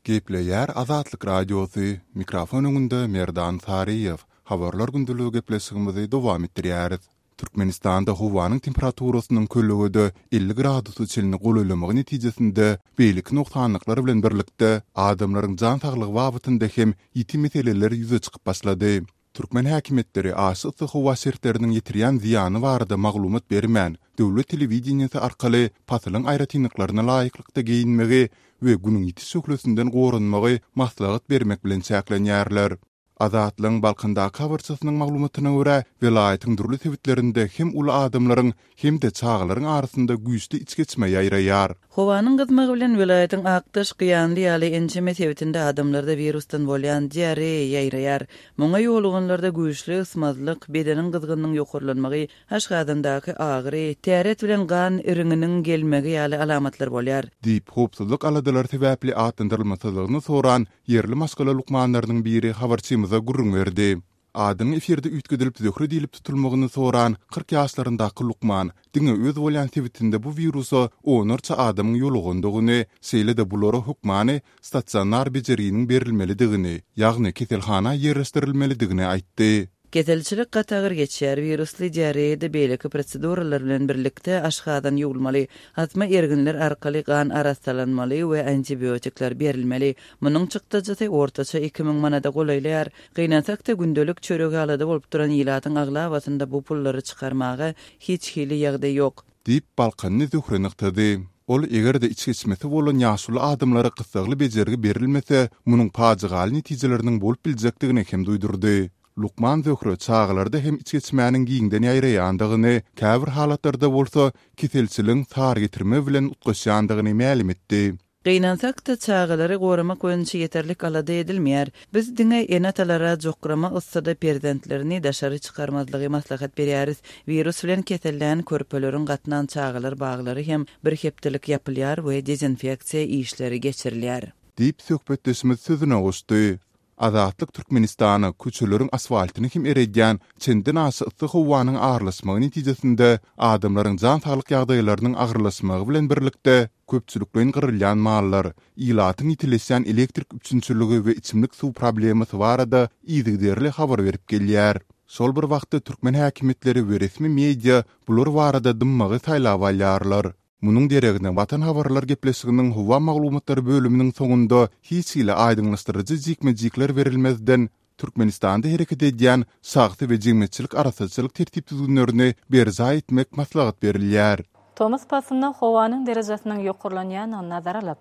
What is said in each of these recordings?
Gepleýär Azatlyk Radiosy, mikrofon öňünde Merdan Saryýew. Habarlar gündeligi gepleşigimizi dowam etdirýäris. Türkmenistanda howanyň temperaturasynyň kölegede 50 gradusa çenli golaýlamagy netijesinde beýleki nogsanlyklar bilen birlikde adamlaryň jan saglygy babatynda hem ýiti meseleler ýüze çykyp başlady. Türkmen häkimiýetleri aşa yssy howa şertleriniň ýetirýän zyýany barada maglumat bermän, döwlet telewideniýesi arkaly pasylyň aýratynlyklaryna laýyklykda geýinmegi we Günüň ýiti şöhlesinden goranmagy maslahat bermek bilen çäklenýärler. Azatlygyň Balkandaky habarçysynyň maglumatyna görä, welaýatyň dürli sebitlerinde hem uly adamlaryň, hem-de çagalaryň arasynda güýçli içgeçme ýaýraýar. Howanyň gyzmagy bilen welaýatyň Akdaş, Gyýanly ýaly ençeme sebitinde adamlarda wirusdan bolýan diareýa ýaýraýar. Muňa ýoluganlarda güýçli ysmazlyk, bedeniň gyzgynynyň ýokarlanmagy, aşgazandaky agyry, täret bilen gan iriňiniň gelmegi ýaly alamatlar bolýar. Diýip, howpsuzlyk aladalary sebäpli atlandyrylmasyzlygyny soran ýerli maşgala lukmanlarynyň biri habarçymyza gürrüň berdi. Adynyň efirde üýtgedilip Zöhre diýlip tutulmagyny soran 40 ýaşlaryndaky lukman diňe öz bolýan sebitinde bu wirusa onlarça adamyň ýolugandygyny, şeýle-de bulara hökmany stasionar bejerginiň berilmelidigini, ýagny keselhana ýerleşdirilmelidigini aýtdy. Keselçilik gaty agyr geçýär. Wirusly diareýada beýleki proseduralar bilen birlikde aşgazan ýuwulmaly, asma erginler arkaly gan arassalanmaly we antibiotikler berilmeli. Munuň çykdajysy ortaça 2000 manada golaýlaýar. Gynansak-da, gündelik çöregi alada bolup duran ilatyň aglabasynda bu pullary çykarmaga hiç hili ýagdaý ýok. Diýip, balkanly Zöhre nygtady. Ol eger-de içgeçmesi bolan ýaşuly adamlara gyssagly bejergi berilmese, munuň pajygaly netijeleriniň bolup biljekdigini hem duýdurdy. Lukman Zöhre çagalarda hem içgeçmäniň giňden ýaýraýandygyny, käbir halatlarda bolsa keselçiligiň sary getirme bilen utgaşýandygyny mälim etdi. Gynansak-da, çagalary goramak boýunça ýeterlik alada edilmeýär. Biz diňe ene-atalara jokrama yssyda perzentlerini daşary çykarmazlygy maslahat berýäris. Wirus bilen kesellän körpeleriň gatnan çagalar baglary hem bir hepdelik ýapylýar we dezinfeksiýa işleri geçirilýär. Diýip, söhbetdeşimiz sözüne goşdy. Azatlyk Türkmenistana köçeleriň asfaltyny hem eredýän çendenaşa yssy howanyň aralaşmagy netijesinde adamlaryň jan-saglyk ýagdaýlarynyň agyrlaşmagy bilen birlikde, köpçülikleýin gyrylýan mallar, ilatyň ýitileşýän elektrik üpjünçiligi we içimlik suw problemasy barada yzygiderli habar berip gelýär. Şol bir wagtda türkmen häkimiýetleri we resmi media bular barada dymmagy saýlap alýarlar. Munuň deregine Watan habarlar gepleşiginiň howa maglumatlary bölüminiň soňunda hiç hili aýdyňlaşdyryjy jikme-jikler berilmezden, Türkmenistanda hereket edýän şahsy we jemgyýetçilik arassaçylyk tertip-düzgünlerini berjaý etmek maslahat berilýär. Tomus paslynda howanyň derejesiniň ýokarlanýandygyny nazara alyp,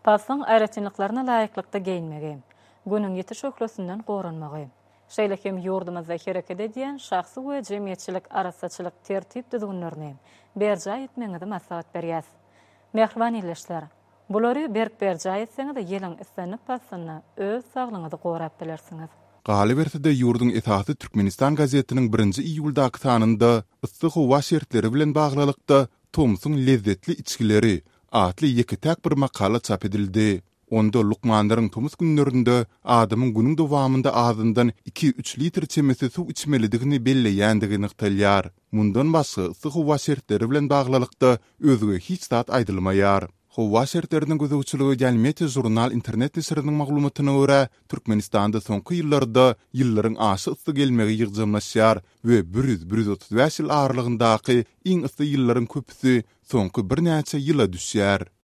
paslyň aýratynlyklaryna laýyklykda geýinmegi, Günüň ýiti şöhlesinden goranmagy, Şeýle hem ýurdumyzda hereket edýän şahsy we jemgyýetçilik arassaçylyk tertip-düzgünlerini berjaý etmegiňizi maslahat berýäs. Mähriban ildeşler! Bulary berk berjaý etseňiz, ýylyň islendik paslynda öz saglygyňyzy gorap bilersiňiz. Galyberse-de, ýurduň esasy Türkmenistan gazetiniň birinji iýuldaky sanynda yssy howa şertleri bilen baglylykda Tomsuň lezzetli içgileri atly ýeke-täk bir makala çap edildi. Onda lukmanlaryň tomus günlerinde adamyň günüň dowamynda azyndan iki-üç litr çemesi suw içmelidigini belleýändigi nygtalýar. Mundan başga, yssy howa şertleri bilen baglylykda özge hiç zat aýdylmaýar. Howa şertlerine gözegçilik edýän Meteožurnal internet neşiriniň maglumatyna görä, Türkmenistanda soňky ýyllarda ýyllaryň aşa yssy gelmegi ýygjamlaşýar we 100-135 ýyl aralygyndaky iň yssy ýyllaryň köpüsi soňky birnäçe ýyla düşýär.